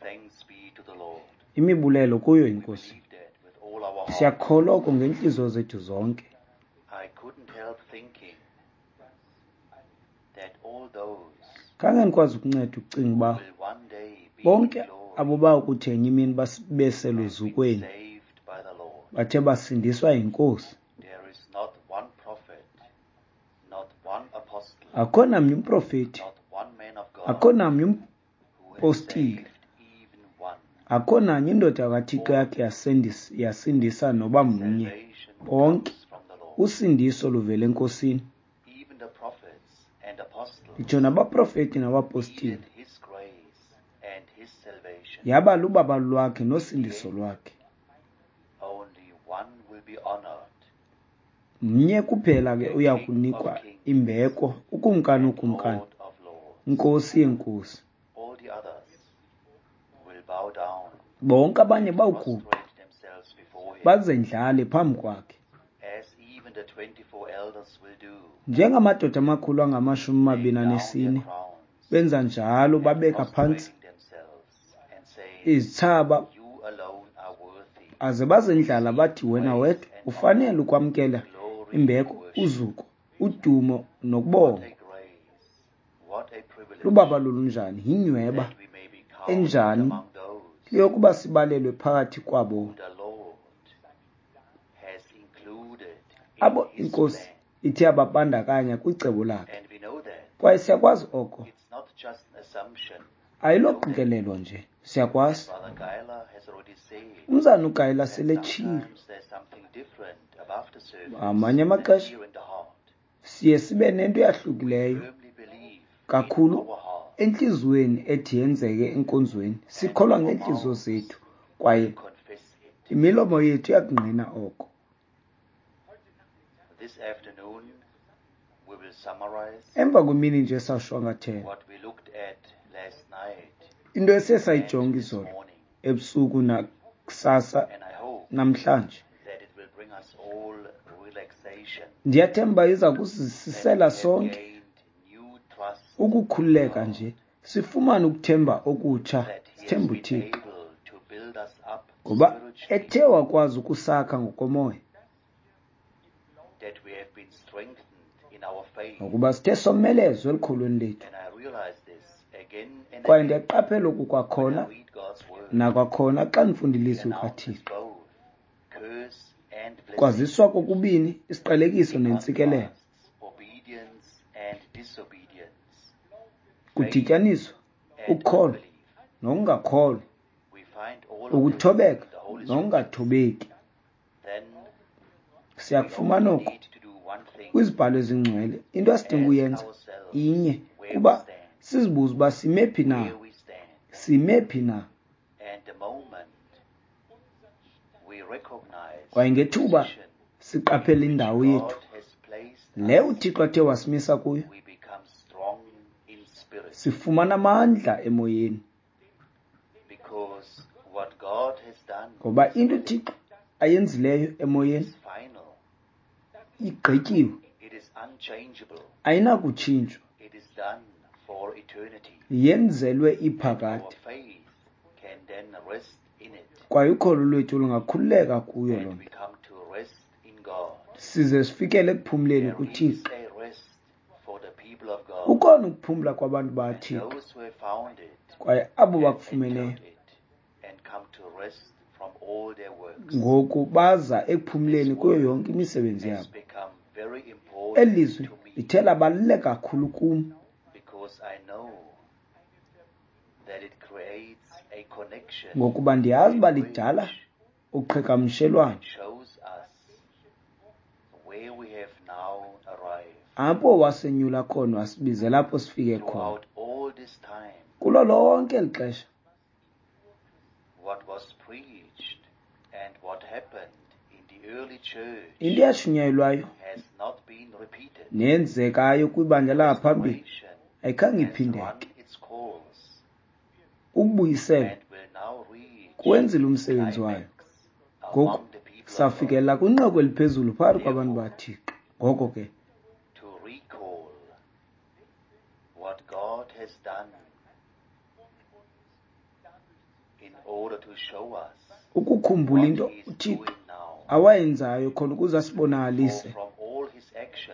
Thanks be to the Lord. Imibulelo kuyo We inkosi. believe that with all our heart. Siyakholwa oko ngeentliziyo zethu zonke. I couldn't help thinking that all those Khange ndikwazi ukunceda ukucinga uba will one day be in bonke glory abo bakuthi ngenye imini and bese been luzukweni saved by the Lord. bathe basindiswa yinkosi. There is not one prophet, not one apostle, Akho namnye umprofeti, not one man of God akho namnye who has umpostile, saved even one. akho nanye indoda kaThixo All yakhe yasindisa noba mnye. salvation Bonke comes from the Lord. usindiso luvela enkosini. Even the prophets and apostles Nditsho nabaprofeti nabapostile needed His grace and His salvation. yaba lubabalo lwakhe In the nosindiso end, lwakhe. only one will be honored, Mnye kuphela ke the uya King of kunikwa kings imbeko, ukumkani and wokumkani, Lord of lords. inkosi yeenkosi. All the others will bow down Bonke abanye and bawuguqa prostrate themselves before Him, bazendlale phambi kwakhe, as even the 24 elders will do, njengamadoda amakhulu angamashumi laying mabini down their anesine crowns benza njalo, and babeka phantsi prostrating themselves and saying, izithsaba You alone are worthy aze to bazendlala receive bathi, wena praise wedwa and honor, ufanele ukwamkela glory and imbeko, worship. uzuko, udumo What nokubongwa. a grace, what a privilege Lubabalo lunjani, yinyweba that we may be counted enjani among those yokuba sibalelwe phakathi kwabo who the Lord has included in abo His inkosi plan. ithe yababandakanya kwicebo lakhe. And we know that Kwaye siyakwazi oko, it's not just an assumption. We know that. ayiloqikelelo nje, And siyakwazi. Brother Guyler has already said Umzana uGayela that seletshilo, sometimes there's something different above the surface ngamanye than amaxesha here in the heart. siye sibe nento We eyahlukileyo firmly believe in kakhulu our hearts, entliziyweni ethi yenzeke enkonzweni. and Sikholwa our ngeentliziyo mouths zethu kwaye will confess it. imilomo yethu iyakungqina oko. This afternoon, we will summarize Emva kwemini nje sawushwankathela what we looked at last night into esiye and sayijonga this izolo morning, ebusuku nakusasa and I hope namhlanje. that it will bring us all relaxation, Ndiyathemba iza that we kusisisela have sonke gained new trust in ukukhululeka God, nje, sifumane ukuthemba okutsha, that He has sithembe been uThixo able to build us up ngoba spiritually, ethe wakwazi ukusakha ngokomoya, that we have been strengthened in our faith. ngokuba sithe somelezwe elukholweni lethu. And I realize this again and Kwaye again ndiyaqaphela oku when I kwakhona read God's word. nakwakhona xa ndifunda He ilizwi announces likaThixo. both curse and blessing. Kwaziswa kokubini isiqalekiso He nentsikelelo. contrasts obedience and disobedience, faith Kudityaniswa and ukholo unbelief. nokungakholwa, We find all of this ukuthobeka in the Holy Scriptures. nokungathobeki. Then we Siyakufumana only oku need to do one thing: kwizibhalo ezingcwele. Into esidinga ask uyenza ourselves inye, where we kuba stand, sizibuze uba sime phi na, where we stand. sime phi na. And the moment we recognize Kwaye the ngethuba position siqaphela in which indawo God yethu has placed le us, uThixo athe wasimisa kuyo, we become strong in spirit. sifumana amandla emoyeni, Because what God has done ngoba in into spirit uThixo ayenzileyo emoyeni is final. igqityiwe, It is unchangeable. ayinakutshintshwa, It is done for eternity. yenzelwe And our iphakade. faith can then rest in it. Kwaye ukholo lwethu lungakhululeka kuyo loo And we nto, come to rest in God. size sifikele ekuphumleni There is kuThixo. a rest for the people of God. Kukhona ukuphumla kwabantu And bakaThixo, those who have found it kwaye abo have bakufumeneyo entered it and come to rest from all their works. ngoku baza ekuphumleni This kuyo word yonke imisebenzi has yabo. become very Eli important lizwi to me lithe labaluleka kakhulu kum, because I know that it creates a connection, ngokuba ndiyazi a uba lidala bridge uqhagamshelwano that shows us where we have now arrived. apho wasenyula khona wasibizela apho sifike khona. Throughout all this time, Kulo lonke eli xesha, what was preached and what happened in the early church into eyashunyayelwayo has not been repeated. neyenzekayo kwibandla langaphambili Restoration ayikhange has run iphindeke. its course Ukubuyisela and will now reach kuwenzile umsebenzi wayo. climax Ngoku among the people of God. safikelela kwinqaku eliphezulu phakathi kwabantu Therefore, baThixo. Ngoko ke, to recall what God has done Ukukhumbula into uThixo awayenzayo khona ukuze asibonakalise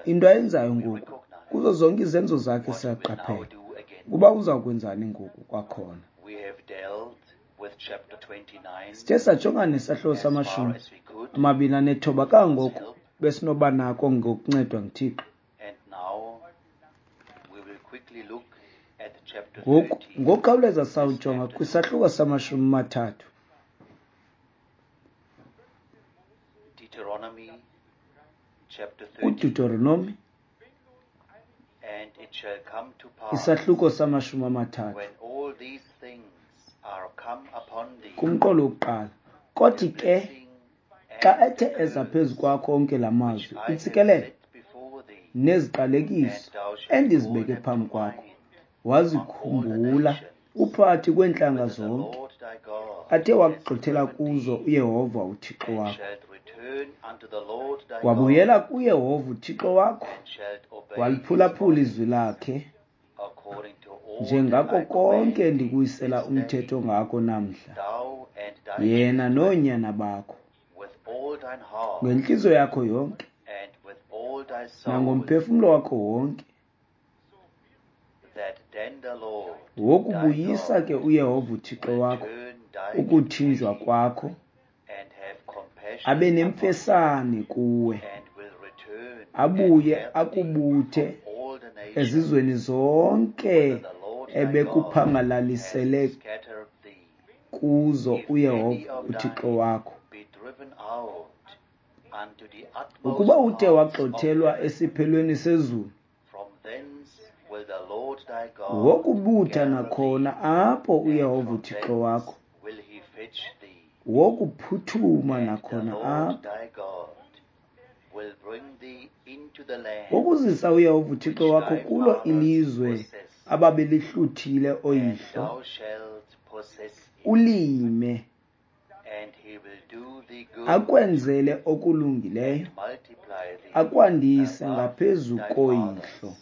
into ayenzayo ngoku. Kuzo zonke izenzo zakhe siyaqaphela ukuba uza kwenzani ngoku kwakhona. Sithe sajongana nesahluko sama-29 kangangoko besinoba nako ngokuncedwa nguThixo. Ngoku ngokukhawuleza sawujonga kwisahluko sama-30. UDeuteronomy isahluko sama-30 kumqolo wokuqala. Kothi ke xa ethe eza phezu kwakho onke la mazwi, intsikelelo neziqalekiso endizibeke phambi kwakho, wazikhumbula uphakathi kweentlanga zonke athe wakugxothela kuzo uYehova uThixo wakho. Wabuyela kuYehova uThixo wakho, waliphulaphula izwi lakhe njengako konke ndikuwisela umthetho ngako namhla, yena noonyana bakho, ngentliziyo yakho yonke nangomphefumlo wakho wonke. Wokubuyisa ke uYehova uThixo wakho ukuthinjwa kwakho, abe nemfesane kuwe, abuye akubuthe ezizweni zonke ebekuphangalalisele kuzo uYehova uThixo wakho. Ukuba uthe wagxothelwa esiphelweni sezulu, wokubutha nakhona apho uYehova uThixo wakho, wokuphuthuma nakhona apho. Wokuzisa uYehova uThixo wakho kulo ilizwe ababelihluthile oyihlo, ulime, akwenzele okulungileyo, akwandise ngaphezu koyihlo.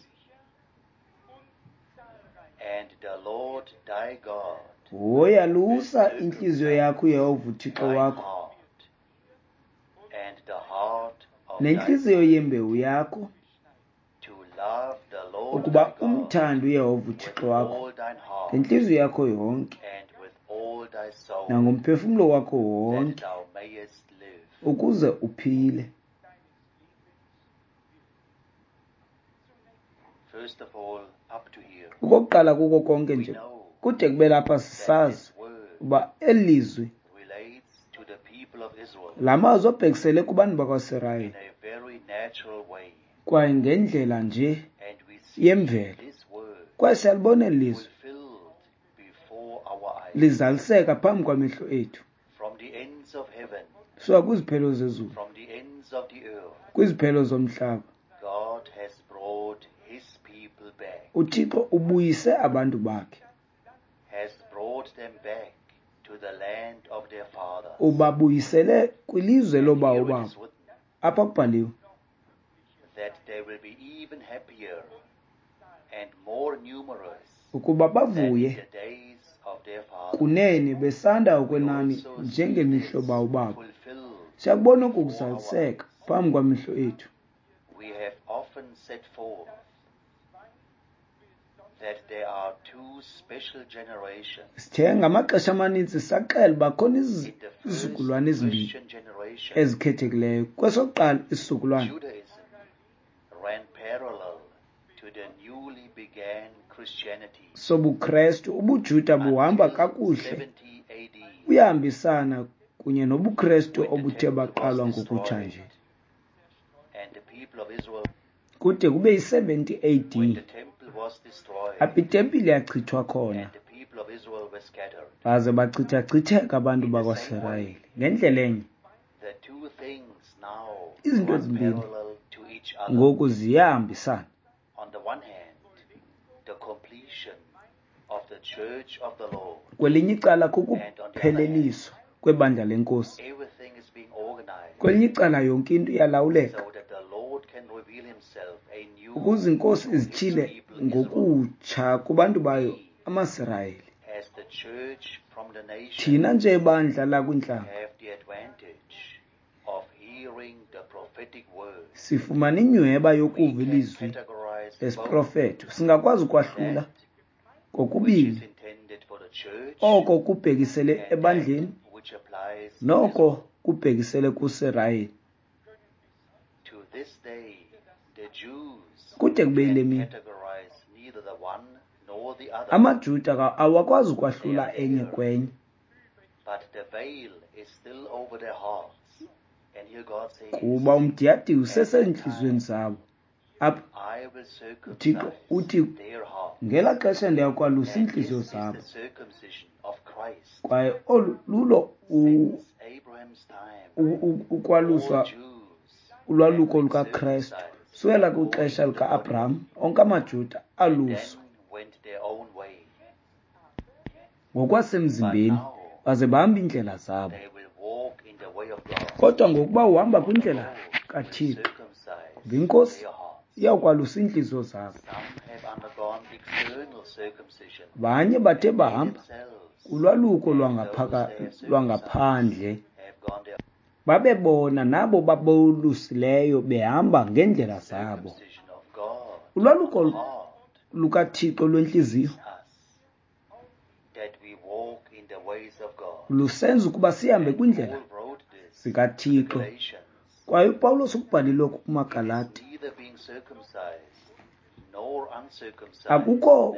Woyalusa intliziyo yakho uYehova uThixo wakho nentliziyo yembewu yakho, ukuba umthande uYehova uThixo wakho ngentliziyo yakho yonke nangomphefumlo wakho wonke, ukuze uphile. Okokuqala kuko konke nje, kude kube lapha sisazi uba eli lizwi la mazwi abhekisele kubantu bakwaSirayeli kwaye ngendlela nje yemvelo. Kwaye siyalibona eli lizwi lizaliseka phambi kwamehlo ethu, suka kwiziphelo zezulu, kwiziphelo zomhlaba. UThixo ubuyise abantu bakhe, ubabuyisele kwilizwe loobawo babo. Apha kubhaliwe ukuba bavuye kunene besanda okwenani njengemihlo bawo babo. Siyakubona oku kuzaliseka phambi kwamehlo ethu. Sithe ngamaxesha amaninzi saxela uba khona izizukulwana ezimbini ezikhethekileyo. Kwesokuqala isizukulwana, sobuKrestu, ubuJuda buhamba kakuhle, buyahambisana kunye nobuKrestu obuthe baqalwa ngokutsha nje. Kude kube yi-70 AD, apho itempile yachithwa khona, baze bachithachitheka abantu bakwaSirayeli. Ngendlela enye, izinto ezimbini ngoku ziyahambisana. Kwelinye icala kukupheleliswa kwebandla lenkosi, kwelinye icala yonke into iyalawuleka ukuze inkosi izityhile ngokutsha kubantu bayo amaSirayeli. Thina nje bandla lakwintlanga sifumana inyhweba yokuva ilizwi lesiprofeto. Singakwazi ukwahlula kokubini oko kubhekisele ebandleni noko kubhekisele kuSirayeli. Kude kube yile mini, amaJuda awakwazi ukwahlula enye kwenye. Kuba umdiyadiya usesentliziyweni zabo. Apha uThixo uthi ngelaa xesha ndiyakwalusa iintliziyo zabo. Kwaye olu lulo ukwaluswa ulwaluko lukaKrestu. Sukela kwixesha lika-Abraham, onke amaJuda aluswa ngokwasemzimbeni, baze bahamba iindlela zabo. Kodwa ngokuba uhamba kwindlela kaThixo, ngoba iNkosi iyawukwalusa iintliziyo zabo. Abanye bathe bahamba kulwaluko lwangaphandle, babebona nabo babolusileyo behamba ngeendlela zabo. Ulwaluko lukaThixo lwentliziyo lusenza ukuba sihambe kwindlela zikaThixo. Kwaye uPawulos ukubhalile oku kumaGalati, akukho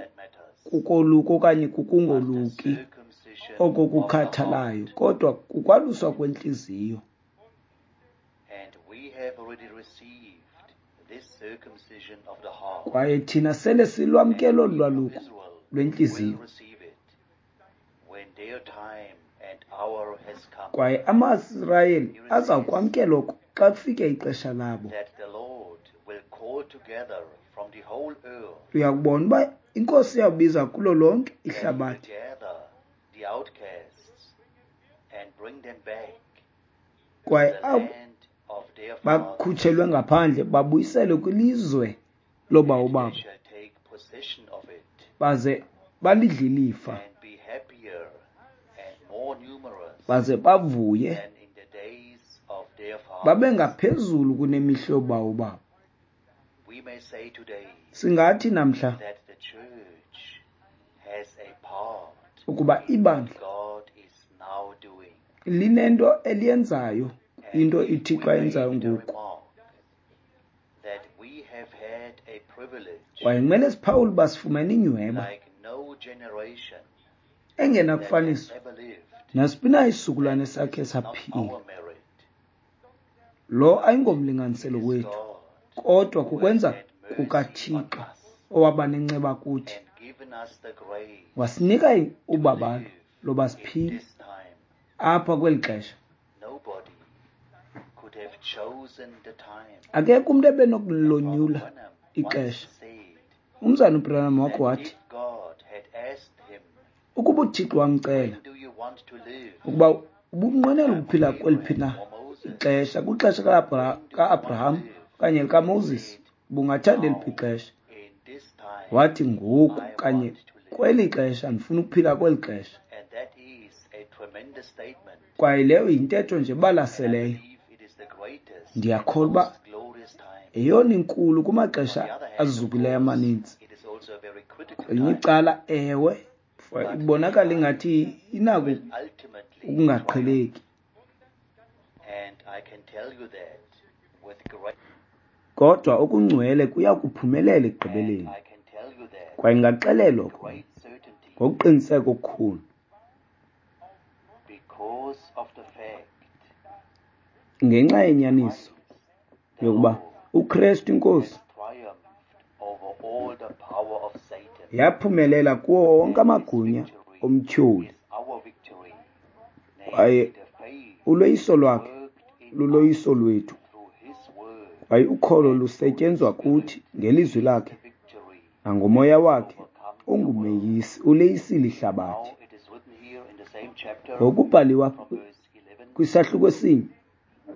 kukoluka okanye kukungoluki oko kukhathalayo, kodwa kukwaluswa kwentliziyo. Kwaye thina sele silwamkele olu lwaluko lwentliziyo. Kwaye amaSirayeli aza kwamkela oko xa kufike ixesha labo. Uyakubona uba iNkosi iyawubiza kulo lonke ihlabathi, kwaye abo bakhutshelwe ngaphandle babuyiselwe kwilizwe loobawo babo, baze balidle ilifa, baze bavuye babe ngaphezulu kunemihla yoobawo babo. Singathi namhla ukuba ibandla linento eliyenzayo, into iThixo ayenzayo ngoku. Kwaye kumele siphawule uba sifumene inyhweba engenakufaniswa nasiphi na isizukulwane sakhe saphila. Lo ayingomlinganiselo wethu, kodwa kukwenza kukaThixo owaba nenceba kuthi, wasinika ubabalo loba siphile apha kweli xesha. Akekho umntu ebenokulonyula ixesha. Umzana uBranham wakho wathi, ukuba uThixo wamcela ukuba ubunqwenela ukuphila kweliphi na ixesha, kwixesha ka-Abraham okanye likaMoses, ubungathanda eliphi ixesha? Wathi, ngoku kanye kweli xesha, ndifuna ukuphila kweli xesha. Kwaye leyo yintetho nje balaseleyo. Ndiyakholwa uba eyona inkulu kumaxesha azukileyo amaninzi. Kwelinye icala, ewe, ibonakala ingathi inako ukungaqheleki. Kodwa okungcwele kuya kuphumelela ekugqibeleni. Kwaye ndingaxelelwa ngokuqiniseka okukhulu ngenxa yenyaniso yokuba uKrestu iNkosi yaphumelela kuwo wonke amagunya omtyholi, kwaye uloyiso lwakhe luloyiso lwethu, kwaye ukholo lusetyenzwa kuthi ngelizwi lakhe nangomoya wakhe ungumeyisi, uleyisile ihlabathi. Ngokubhaliwa kwisahluko esinye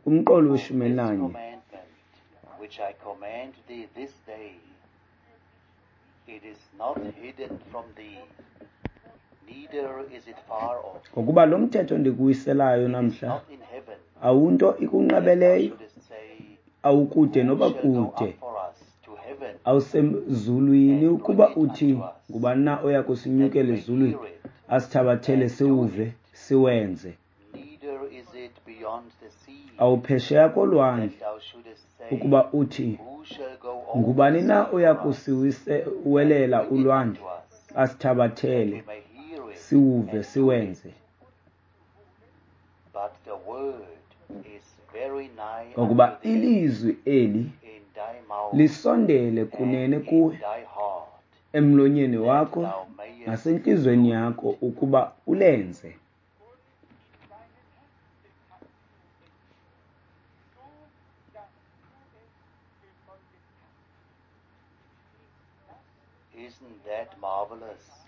kumqolo we-11, which I command thee this day, it is not hidden from thee, Ngokuba lo mthetho ndikuwiselayo namhla awunto ikunqabeleyo, awukude noba kude, awusemzulwini ukuba uthi ngubani na oya kusinyukela ezulwini asithabathele siwuve siwenze. Awuphesheya kolwandle ukuba uthi ngubani na oya kusiwelela ulwandle asithabathele siwuve siwenze. Ngokuba ilizwi eli lisondele kunene kuwe, emlonyeni wakho nasentliziyweni yakho ukuba ulenze.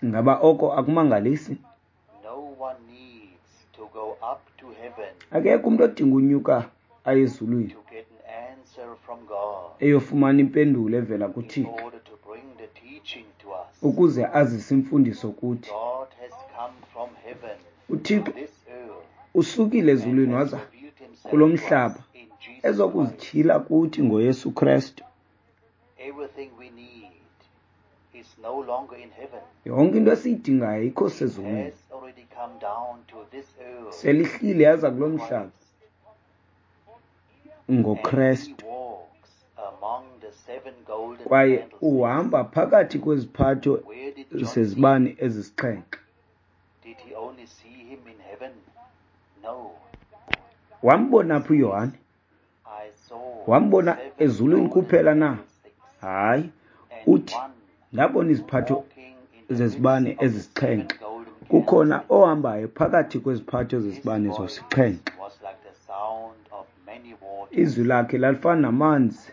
Ngaba oko akumangalisi? Akekho umntu odinga unyuka aye ezulwini eyofumana impendulo evela kuThixo ukuze azise imfundiso kuthi. UThixo usukile ezulwini waza kulo mhlaba ezokuzityhila kuthi ngoYesu Kristu. Yonke into esiyidingayo ayikho sezulwini, selihlile yaza kulo mhlaba ngoKristu, kwaye uhamba phakathi kweziphatho zezibane ezisixhenxe. Wambona phi uYohane? Wambona ezulwini kuphela na? Hayi, uthi ndabona iziphatho zezibane ezisixhenxe, kukhona ohambayo phakathi kweziphatho zezibane zosixhenxe. Izwi lakhe lalifana namanzi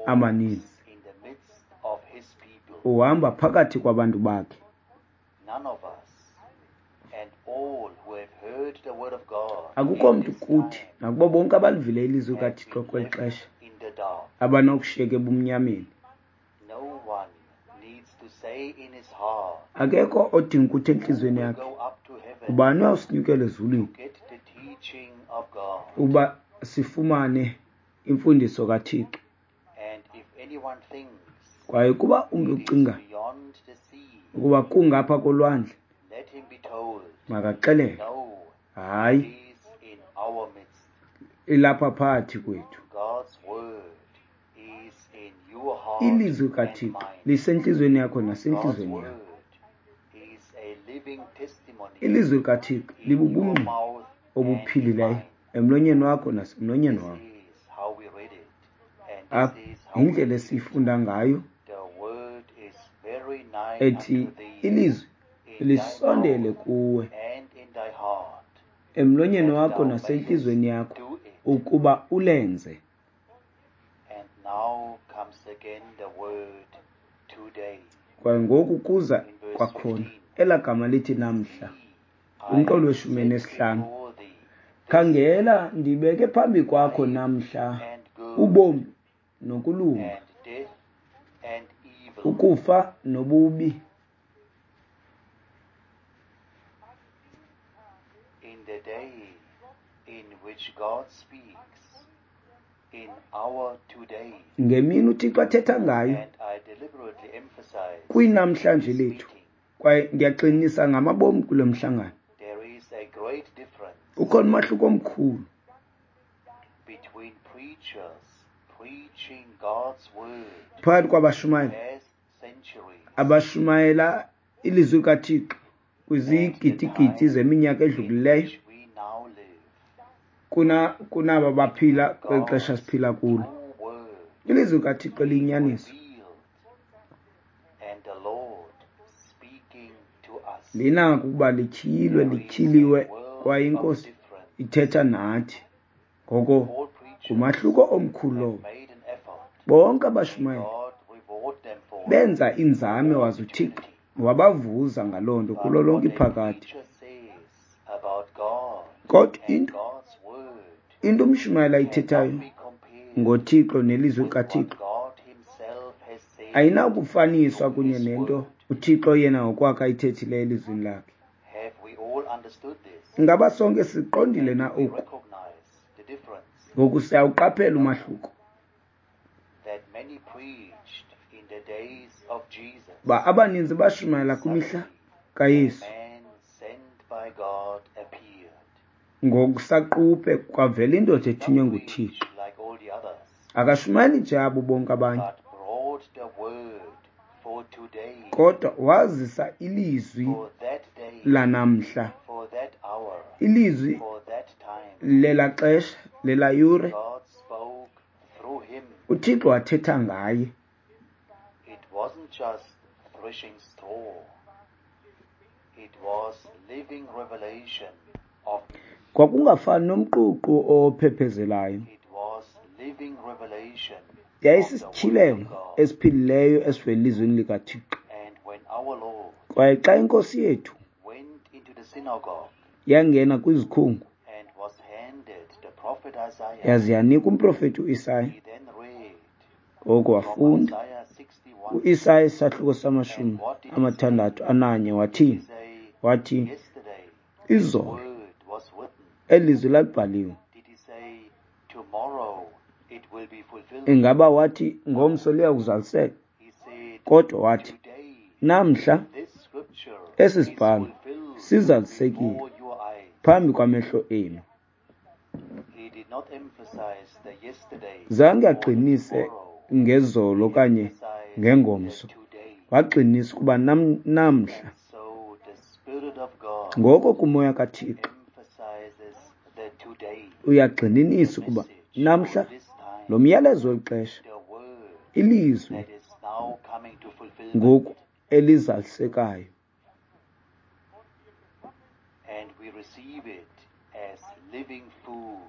amaninzi. Uhamba phakathi kwabantu bakhe. Akukho mntu kuthi nakubo bonke abalivile ilizwi likaThixo kweli xesha abanokushiyeka ebumnyameni. Akekho odinga ukuthi entliziyweni yakhe ubani uyawusinyukela ezulwini uba sifumane imfundiso kaThixo. Kwaye kuba umntu ucinga ukuba kungapha kolwandle, makaxelelwe, hayi, ilapha phakathi kwethu. Ilizwi kaThixo lisentliziyweni yakho nasentliziyweni yakho. Ilizwi likaThixo libubungqina obuphilileyo emlonyeni wakho nasemlonyeni wam. Indlela esiyifunda ngayo ethi ilizwi lisondele kuwe emlonyeni wakho nasentliziyweni yakho ukuba ulenze. Kwaye ngoku kuza kwakhona elaa gama lithi namhla, umqolo we-15. Khangela, ndibeke phambi kwakho namhla ubomi nokulunga, ukufa nobubi. In the day in which God speaks, in our today, ngemini uThixo athetha ngayo kwinamhlanje lethu, kwaye ndiyaqinisa ngamabomi kulo mhlangano, ukhona umahluko omkhulu phakathi kwabashumayeli abashumayela ilizwi likaThixo kwizigidigidi zeminyaka edlulileyo kunaba baphila kweli xesha siphila kulo. Ilizwi likaThixo liyinyaniso, linako ukuba lityhilwe, lityhiliwe, kwaye iNkosi ithetha nathi. Ngoko ngumahluko omkhulu lowo. Bonke abashumayeli benza inzame waze uThixo wabavuza ngaloo nto kulo lonke iphakade. Kodwa into umshumayeli ayithethayo ngoThixo nelizwi likaThixo ayinakufaniswa kunye nento uThixo yena ngokwakhe ayithethileyo elizwini lakhe. Ingaba sonke siqondile na oku? Ngoku siyawuqaphela umahluko. Ba abaninzi bashumayela kwimihla kaYesu. Ngokusaquphe kwavela indoda ethunywe nguThixo. Akashumayeli nje abo bonke abanye, kodwa wazisa ilizwi lanamhla, ilizwi lela xesha, lela yure. UThixo wathetha ngaye. Kwakungafani nomququ ophephezelayo. Yayisisityhilelo esiphilileyo esivela elizwini likaThixo. Kwaye xa iNkosi yethu yangena kwizikhungu yaze yanika umprofeti uIsaya, ngoko wafunda uIsaya isahluko sama-61. Wathini? Wathi, izolo eli lizwi lalibhaliwe. Ingaba wathi ngomso liya kuzaliseka? Kodwa wathi, namhla esi sibhalo sizalisekile phambi kwamehlo enu. Zange agxinise ngezolo okanye ngengomso, wagxinisa ukuba namhla. Ngoko kumoya kaThixo uyagxininisa ukuba namhla lo myalezo weli xesha, ilizwi ngoku elizalisekayo.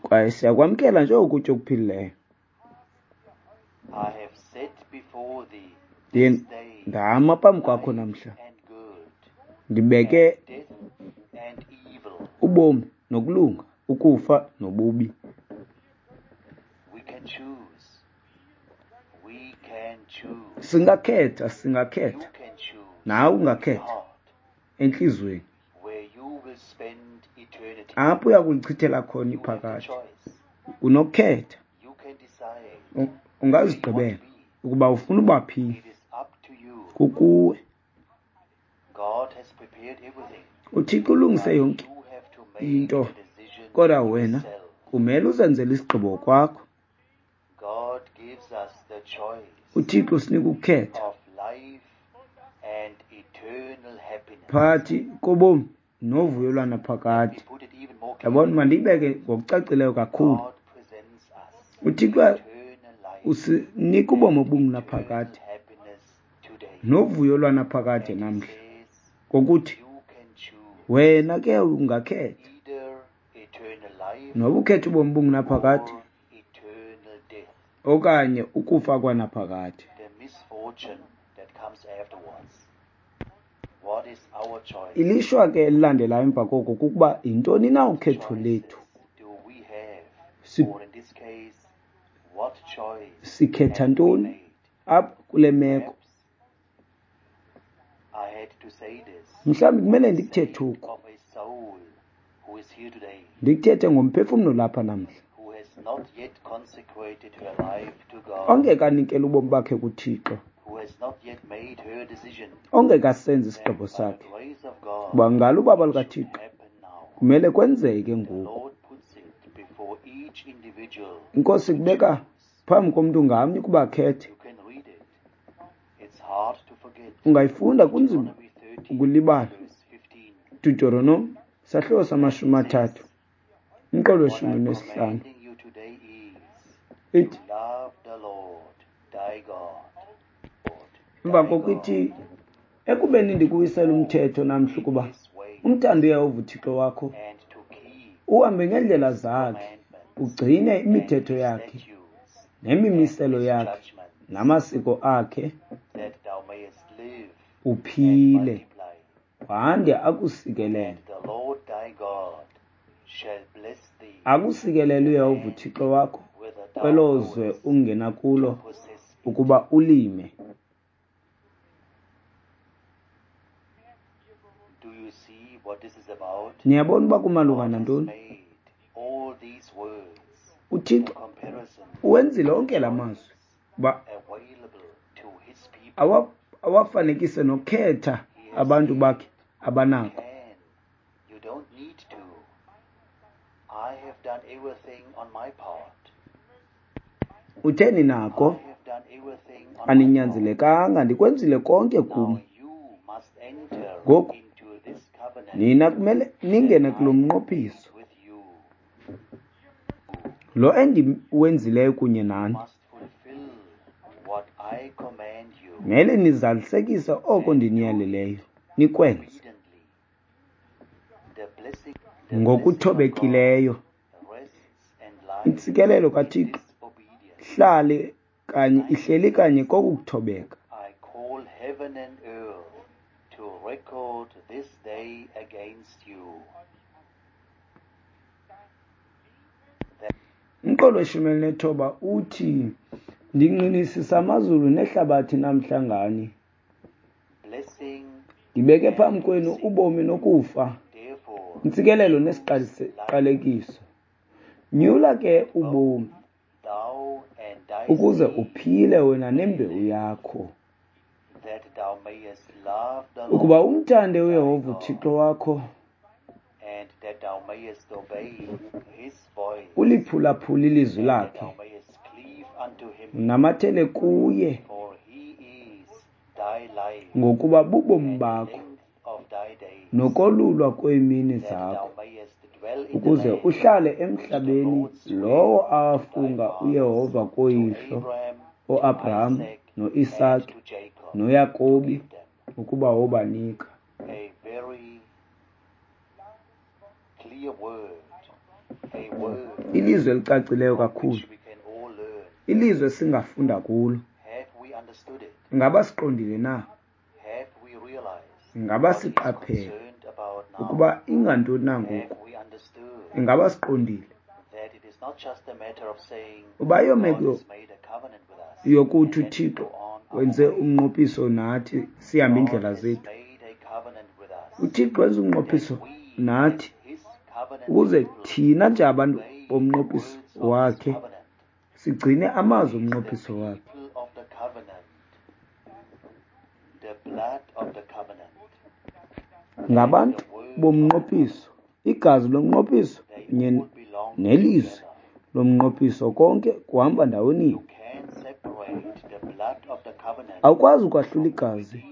Kwaye siyakwamkela njengokutya okuphilileyo. Ndiye ndama phambi kwakho namhla, ndibeke ubomi nokulunga, ukufa nobubi. Singakhetha, singakhetha. Nawe ungakhetha entliziyweni apho uya kulichithela khona iphakade. Unokukhetha, ungazigqibela ukuba ufuna uba phi. Kukuwe. uThixo ulungise yonke into, kodwa wena kumele uzenzele isigqibo kwakho. uThixo usinika ukukhetha phakathi kobomi novuyo lwanaphakade. Yabona, mandiyibeke ngokucacileyo kakhulu. uThixo usinika ubomi obungunaphakade novuyo lwanaphakade namhla, ngokuthi wena ke ungakhetha noba ukhetha ubomi obungunaphakade okanye ukufa kwanaphakade. Ilishwa ke elilandelayo emva koko kukuba yintoni na ukhetho lethu? Sikhetha ntoni apha kule meko? Mhlawumbi kumele ndikuthethe oku, ndikuthethe ngomphefumlo lapha namhla ongekanikeli ubomi bakhe kuThixo, ongekasenzi isigqibo sakhe, kuba ngalo ubaba lukaThixo kumele kwenzeke ngoku. INkosi kubeka phambi komntu ngamnye ukuba akhethe. Ungayifunda, kunzima ukulibala. Deuteronomy sahluko sama-30 umqolo we-15 ithi, emva koko ithi, ekubeni ndikuwisela umthetho namhla ukuba umthande uYehova uThixo wakho, uhambe ngeendlela zakhe, ugcine imithetho yakhe nemimiselo yakhe namasiko akhe, uphile, wande akusikelele. Akusikelele uYehova uThixo wakho kwelo zwe ungena kulo ukuba ulime. Niyabona uba kumalunga nantoni? UThixo uwenzile onke la mazwi uba awafanekise nokhetha abantu bakhe abanako. Utheni nako? Aninyanzelekanga, ndikwenzile konke kum. Ngoku nina kumele ningene kulo mnqophiso lo endiwenzileyo kunye nani. Mele nizalisekise oko ndiniyaleleyo, nikwenze ngokuthobekileyo. Intsikelelo kaThixo hlale kanye ihleli kanye koku kuthobeka. Umqolo we-19 uthi, ndingqinisisa amazulu nehlabathi namhla ngani, ndibeke phambi kwenu ubomi nokufa, intsikelelo nesiqalekiso. Nyula ke ubomi ukuze uphile wena nembewu yakho, ukuba umthande uYehova uThixo wakho, uliphulaphule ilizwi lakhe, unamathele kuye, ngokuba bubomi bakho nokolulwa kweemini zakho, ukuze uhlale emhlabeni lowo awafunga uYehova koyihlo oAbraham noIsake noYakobi ukuba wobanika. Ilizwi elicacileyo kakhulu, ilizwi esingafunda kulo. Ingaba siqondile na? Ingaba siqaphele ukuba ingantoni na ngoku? Ingaba siqondile uba ayomeko yokuthi uThixo wenze umnqophiso nathi sihambe iindlela zethu? uThixo wenza umnqophiso nathi ukuze thina nje abantu bomnqophiso wakhe sigcine amazwi omnqophiso wakhe. Ngabantu bomnqophiso, igazi lomnqophiso kunye nelizwi lomnqophiso, konke kuhamba ndawoninye. Awukwazi ukwahlula igazi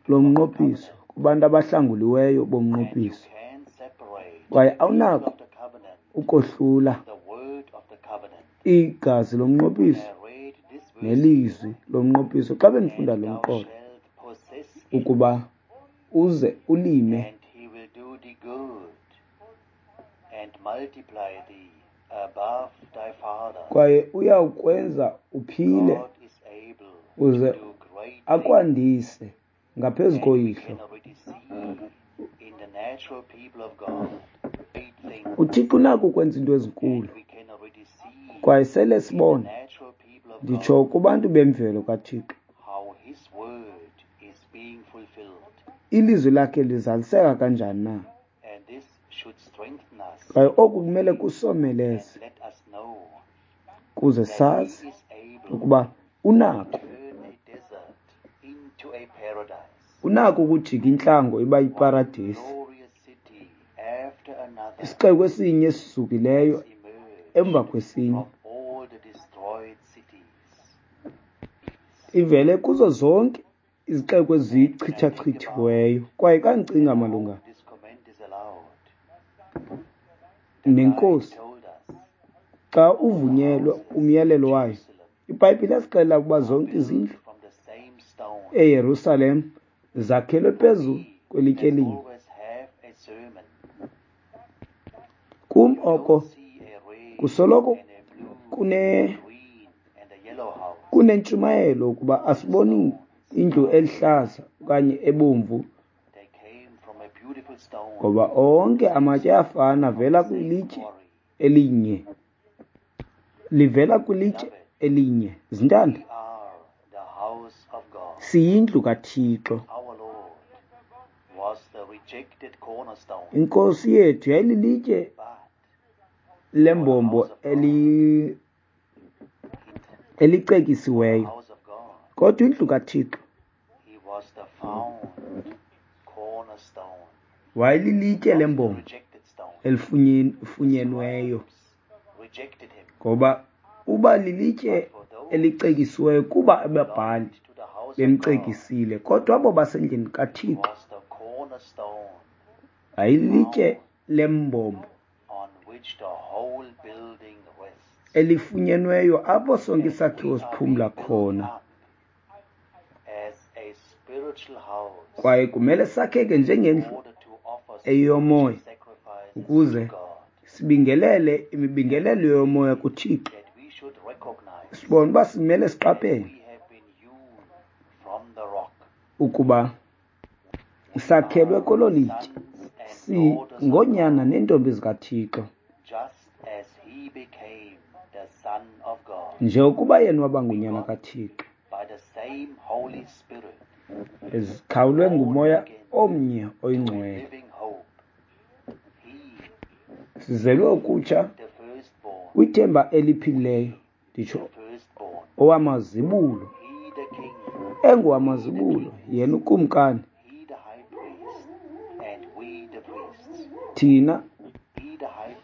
lomnqophiso kubantu abahlanguliweyo bomnqophiso, kwaye awunako ukohlula igazi lomnqophiso nelizwi lomnqophiso. Xa bendifunda lo mqolo, ukuba uze ulime kwaye uyawukwenza uphile uze akwandise ngaphezu koyihlo. UThixo unako ukwenza into ezinkulu, kwaye sele sibona, nditsho kubantu bemvelo kaThixo, ilizwi lakhe lizaliseka kanjani na. Kwaye oku kumele kusomeleze kuze sazi ukuba unako ukujika intlango iba yiparadesi. Isixeko esinye esisukileyo emva kwesinye ivele kuzo zonke izixeko ezichithachithiweyo. Kwaye xa ndicinga malunga nenkosi, xa uvunyelwe umyalelo wayo, iBhayibhile yasixelela ukuba zonke izindlu eYerusalem zakhelwe phezu kwelitye elinye. Kum oko kusoloko kunentshumayelo ukuba asiboni indlu elihlaza okanye ebomvu, ngoba onke amatye ayafana, avela kwilitye elinye, livela kwilitye elinye. Zintanda, siyindlu kaThixo. Inkosi yethu yayililitye lembombo elicekisiweyo, kodwa indlu kaThixo wayelilitye lembombo elifunyenweyo, ngoba uba lilitye elicekisiweyo kuba ababhali bemcekisile, kodwa abo basendlini kaThixo ayilitye lembombo elifunyenweyo apho sonke isakhiwo siphumla khona. Kwaye kumele sakheke njengendlu eyomoya ukuze sibingelele imibingelelo yomoya kuThixo. Sibone uba simele siqaphele ukuba sakhelwe kwelo litye, singoonyana neentombi zikaThixo, njengokuba yena waba ngunyana kaThixo, ezikhawulwe ngumoya omnye oyingcwele. Sizelwe ukutsha kwithemba eliphilileyo, nditsho owamazibulo, engowamazibulo, yena ukumkani,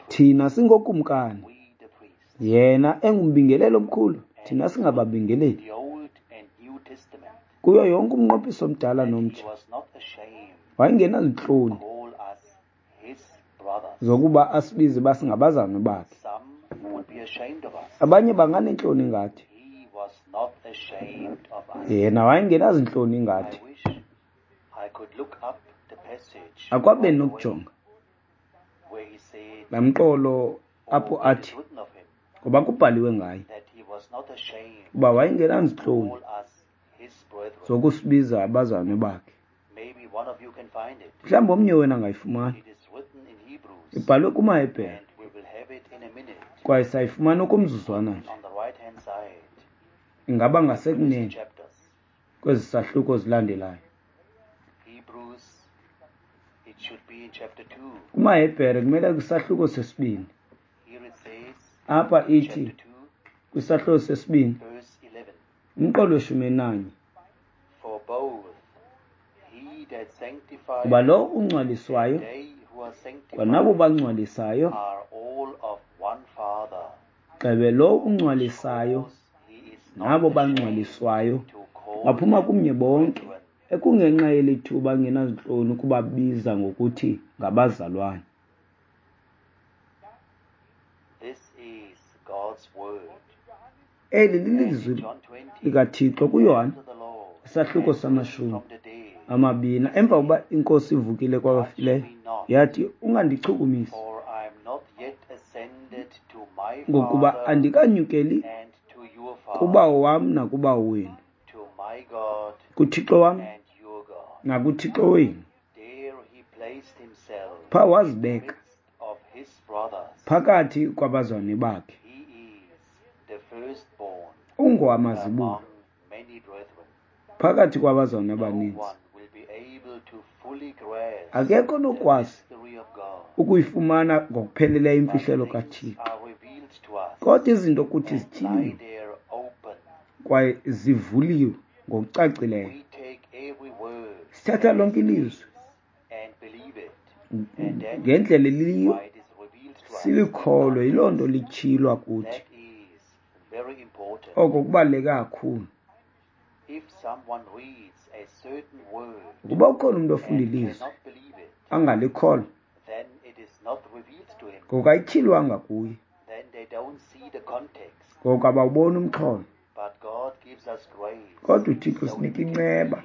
thina singokumkani, yena engumbingeleli omkhulu, thina singababingeleli. Kuyo yonke umnqophiso omdala nomtsha wayengenazintloni zokuba asibize uba singabazalwane bakhe. Abanye banganeentloni ngathi, yena wayengenazintloni ngathi. Akwabe nokujonga laa mqolo apho athi, ngoba kubhaliwe ngaye uba wayengenazintloni zokusibiza abazalwane bakhe. Mhlawumbi omnye wena angayifumana. Ibhalwe kumaHebhere, kwaye sayifumana okomzuzwana nje. Ingaba ngasekunene kwezi sahluko zilandelayo. KumaHebhere kumele kwisahluko sesibini. Apha ithi kwisahluko sesibini, umqolo weshumi enanye. Kuba lo ungcwaliswayo kwanabo bangcwalisayo, gxebe lo ungcwalisayo nabo bangcwaliswayo baphuma kumnye bonke, ekungenxa yeli thuba angenazintloni ukubabiza ngokuthi ngabazalwane. Eli lilizwi likaThixo kuYohane, isahluko sama-20. Emva kokuba inkosi ivukile kwabafileyo, yathi, ungandichukumisi, ngokuba andikanyukeli kubawo wam nakubawo wenu, kuThixo wam nakuThixo wenu. Phaa wazibeka phakathi kwabazalwane bakhe. Ungowamazibulo phakathi kwabazalwane abaninzi. Akekho onokwazi ukuyifumana ngokupheleleyo imfihlelo kaThixo, kodwa izinto kuthi zityhiliwe kwaye zivuliwe ngokucacileyo. Sithatha lonke ilizwi ngendlela eliyiyo, silikholwe, yiloo nto lityhilwa kuthi. Oko kubaluleke kakhulu. Ukuba ukhona umntu ofunda ilizwi angalikholwa, ngoku ayityhilwanga kuye, ngoku abawuboni umxholo. Kodwa uThixo usinika inceba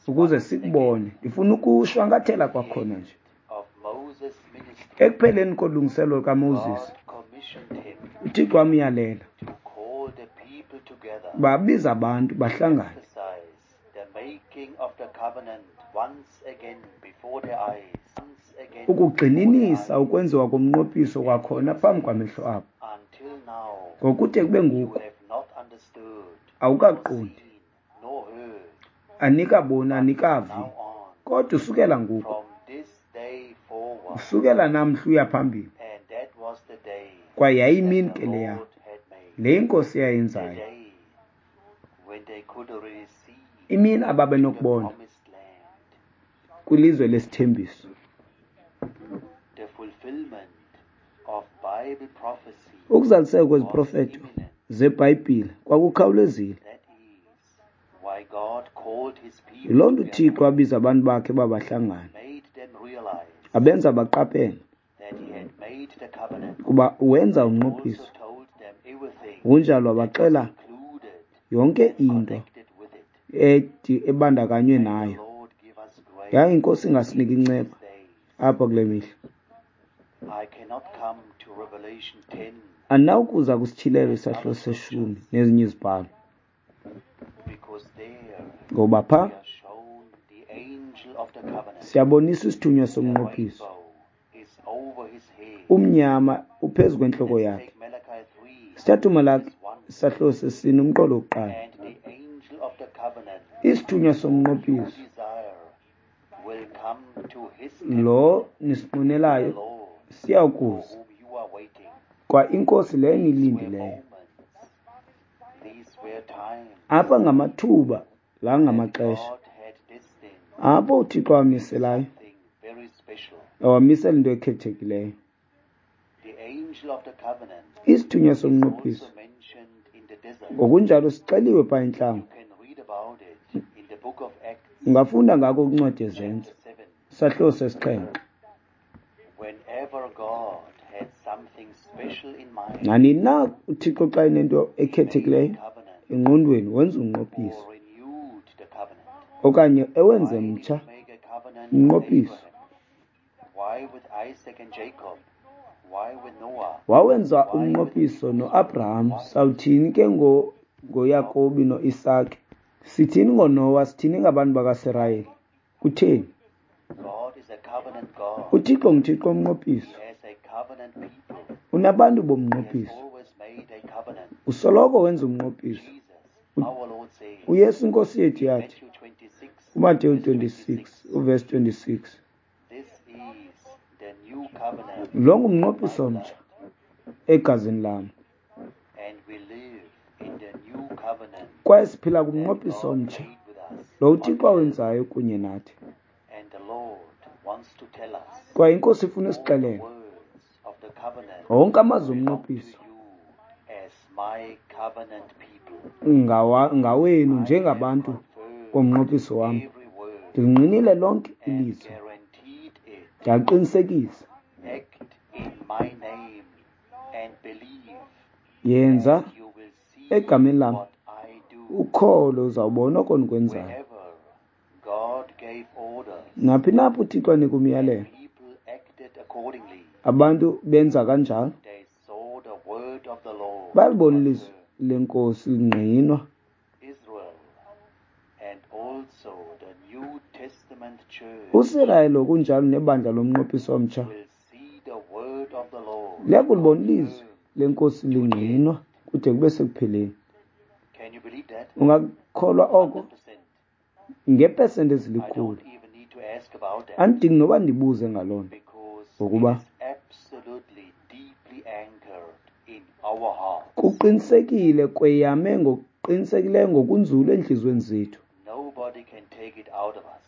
ukuze sikubone. Ndifuna ukushwankathela kwakhona nje. Ekupheleni kolungiselelo lukaMoses, uThixo wamyalela babiza abantu bahlangane, ukugxininisa ukwenziwa komnqophiso kwakhona phambi kwamehlo abo. Ngokude kube ngoku awukaqondi Anikaboni, anikavi. Kodwa usukela ngoku, usukela namhla uya phambili, kwaye yayimini ke leya, le inkosi yayenzayo, imini ababenokubona kwilizwe lesithembiso. Ukuzaliseka kweziprofeto zeBhayibhile kwakukhawulezile. Yiloo nto uThixo wabiza abantu bakhe babahlangana, abenza baqaphele kuba wenza umnqophiso. Ngokunjalo wabaxela yonke into ebandakanywe nayo. Yaye iNkosi ingasinika inceba apha kule mihla. Andinawukuza kwisityhilelo isahluko seshumi nezinye izibhalo, ngoba pha siyaboniswa isithunywa somnqophiso. Umnyama uphezu kwentloko yakhe. Sithatha uMalaki isahluko sesine umqolo wokuqala. Isithunywa somnqophiso lo nisinqwenelayo siyawukuza, kwa inkosi leyo niyilindileyo. Apha ngamathuba la ngamaxesha apho uThixo wamiselayo, wamisela into ekhethekileyo. Isithunywa somnqophiso ngokunjalo sixeliwe phaa entlango. Ungafunda ngako kwincwadi yeZenzo, isahluko sesixhenxe. Nanini na uThixo xa enento ekhethekileyo engqondweni, wenza umnqophiso okanye ewenze mtsha umnqophiso. Wawenza umnqophiso noAbraham. Sawuthini ke ngoYakobi noIsake? Sithini ngoNowa? Sithini ngabantu bakaSirayeli? Kutheni? UThixo nguThixo womnqophiso. Unabantu bomnqophiso. Usoloko wenza umnqophiso. uYesu inkosi yethu yathi kuMateyu 26 uvesi 26, lo ngumnqophiso omtsha egazini lam, kwaye siphila kumnqophiso omtsha lo uThixo awenzayo kunye nathi. Kwaye inkosi ifuna isixelele wonke amazwi omnqophiso ngawenu njengabantu bomnqophiso wam. Ndilingqinile lonke ilizwi, ndiyaqinisekisa. Yenza egameni lam, ukholo uzawubona oko ndikwenzayo. Naphi napho uThixo anika umyalelo, abantu benza kanjalo, balibona ilizwi lenkosi lingqinwa. uSirayeli ngokunjalo nebandla lomnqophiso omtsha liyakulibona ilizwi lenkosi lingqinwa kude kube sekupheleni. Ungakholwa oko ngepesenti ezilikhulu. Andidingi noba ndibuze ngaloo nto, ngokuba kuqinisekile kweyame ngokuqinisekileyo ngokunzulu entliziyweni zethu.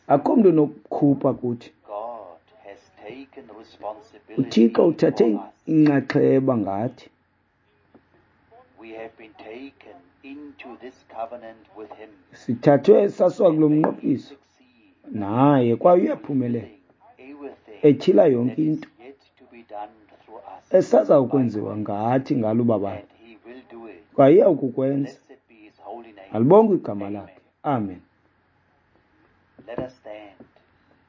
Akho mntu unokukhupha kuthi. uThixo uthathe inxaxheba ngathi. Sithathwe sasiwa kulo mnqophiso naye, kwaye uyaphumelela etyhila yonke into esazawukwenziwa ngathi ngalo ubabalo, kwaye iyawukukwenza. Alibongwe igama lakhe. Amen.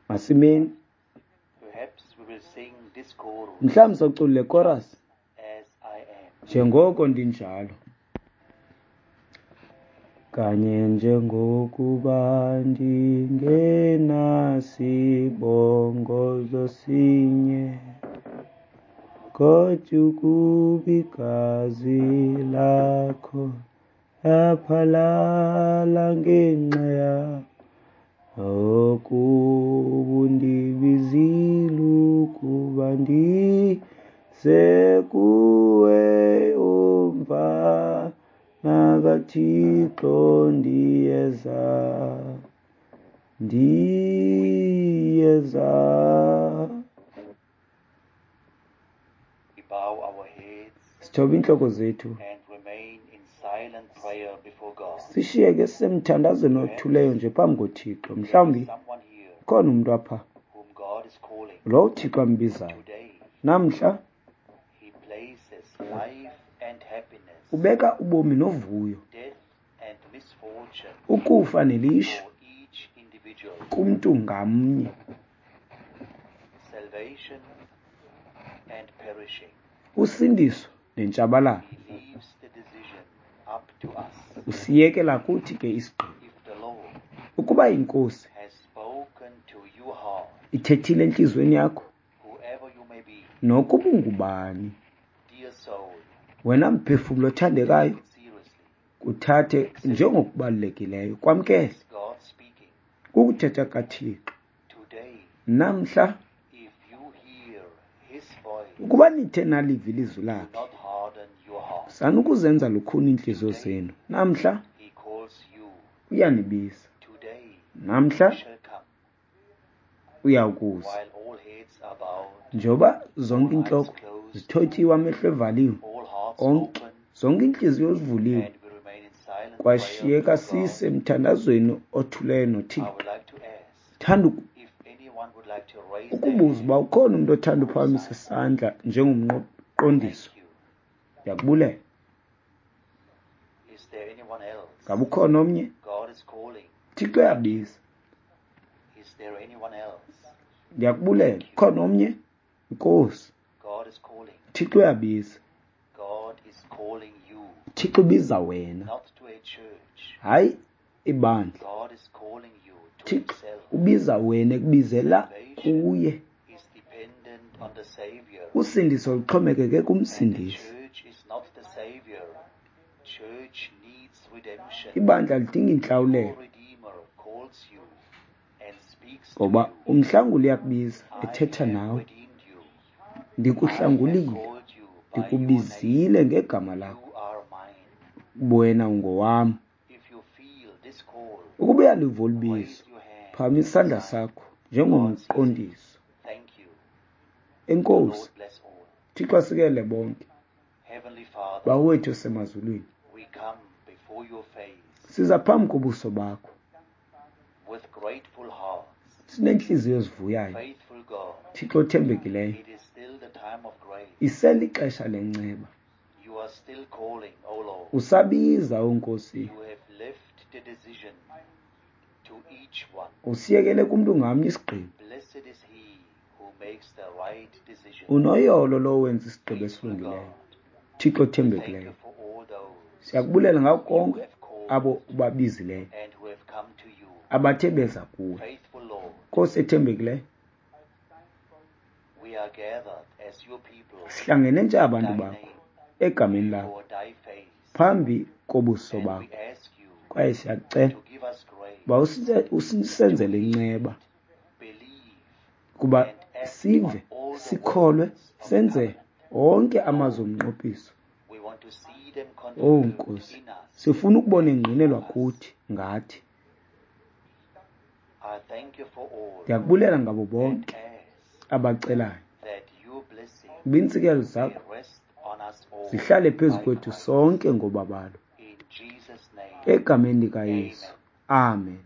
Masimeni. Mhlawumbi sawucula le chorus njengoko ndinjalo. Kanye njengokuba ndingenasibongozo sinye, kodwa ukuba igazi lakho laphalala ngenxa yam, Okuba undibizile ukuba ndize kuwe, umfana kaThixo, ndiyeza, ndiyeza. We bow our heads Sithoba iintloko zethu and remain in silent prayer before God. sishiyeke sisemthandazweni othuleyo nje phambi koThixo. Mhlawumbi There is someone here ukhona umntu apha whom God is calling. lo uThixo ambizayo Today, namhla. He places life and happiness, Ubeka ubomi novuyo, death and misfortune ukufa nelishwa for each individual, kumntu ngamnye, salvation and perishing. usindiso nentshabalalo. He leaves the decision up to us. Usiyekela kuthi ke isigqibo. If the Lord Ukuba iNkosi has spoken to your heart, ithethile entliziyweni yakho, whoever you may be, nokuba ungubani, dear soul, wena mphefumlo othandekayo, take it seriously. kuthathe njengokubalulekileyo, kwamkele. It's God speaking. Kukuthetha kaThixo. Today, Namhla, if you hear His voice, ukuba nithe naliva ilizwi do lakhe, not harden your heart. sanukuzenza lukhuni iintliziyo zenu. Namhla He calls you. uyanibiza. Today, Namhla he shall come. uyawukuza. While all heads are bowed, Njengoba zonke all eyes iintloko closed, zithotyiwe, amehlo evaliwe, all hearts onke open, zonke iintliziyo zivuliwe, and we remain in silent prayer kwashiyeka before God, sisemthandazweni othuleyo I noThixo. would like to ask Thanda if anyone would like to raise their ukubuza hand uba ukhona umntu othanda for a uphakamisa sign. isandla njengomqondiso. Thank you. Ndiyakubulela. Is there anyone else? Ngaba ukhona omnye? God is calling. Thixo uyabiza. Is there anyone else? Ndiyakubulela. Ukhona omnye? Nkosi. God is calling. Thixo uyabiza. God is calling you, Thixo ubiza wena, not to a church. hayi ibandla. God is calling you to Thixo Himself. ubiza wena, ekubizela Salvation kuye. is dependent on the Savior. Usindiso luxhomekeke And the kumsindisi. church is not the Savior. Church needs redemption. Ibandla lidinga Your intlawulelo, Redeemer calls you and speaks to ngoba you. umhlanguli uyakubiza I ethetha have nawe. redeemed you. I have Ndikuhlangulile, called you by your name. ndikubizile ngegama lakho, You are mine. wena ungowam. If you feel this call, Ukuba uyaliva olu bizo, raise your hand phakamisa isandla as a sign. sakho God sees it. njengomqondiso. Thank you. The Enkosi. Lord bless all. Thixo asikelele bonke. Heavenly Father, Bawo wethu osemazulwini, we come before your face siza phambi kobuso bakho with grateful hearts. sineentliziyo ezivuyayo. Faithful God, Thixo othembekileyo, it is still the time of grace. iselixesha lenceba. You are still calling, O Lord. Usabiza, o Nkosi. You have left the decision to each one. Usiyekele kumntu ngamnye isigqibo. Blessed is he who makes the right decision. Unoyolo lowo wenza isigqibo Faithful esilungileyo. God, Thixo we thank you othembekileyo, for all those siyakubulela ngako you konke have called abo ubabizileyo, and who have come to you. abathe beza kuwe. Faithful Lord, Nkosi ethembekileyo, we are gathered as your people sihlangene nje in abantu thy bakho name, egameni lakho, before thy face, phambi kobuso and we bakho, ask you kwaye siyakucela to give us grace uba usenzele to heed, inceba, believe, kuba and act on sive, all the sikholwe, words of the senze covenant. onke Lord, amazwi omnqophiso. we want to see them Owu confirmed Nkosi, in us sifuna ukubona and engqinelwa through us. kuthi ngathi. I thank you for all Ndiyakubulela ngabo and bonke ask abacelayo that your blessing uba iintsikelelo may zakho rest on us all zihlale phezu by kwethu Christ. sonke ngobabalo. In Jesus' name, Egameni likaYesu. amen. Amen.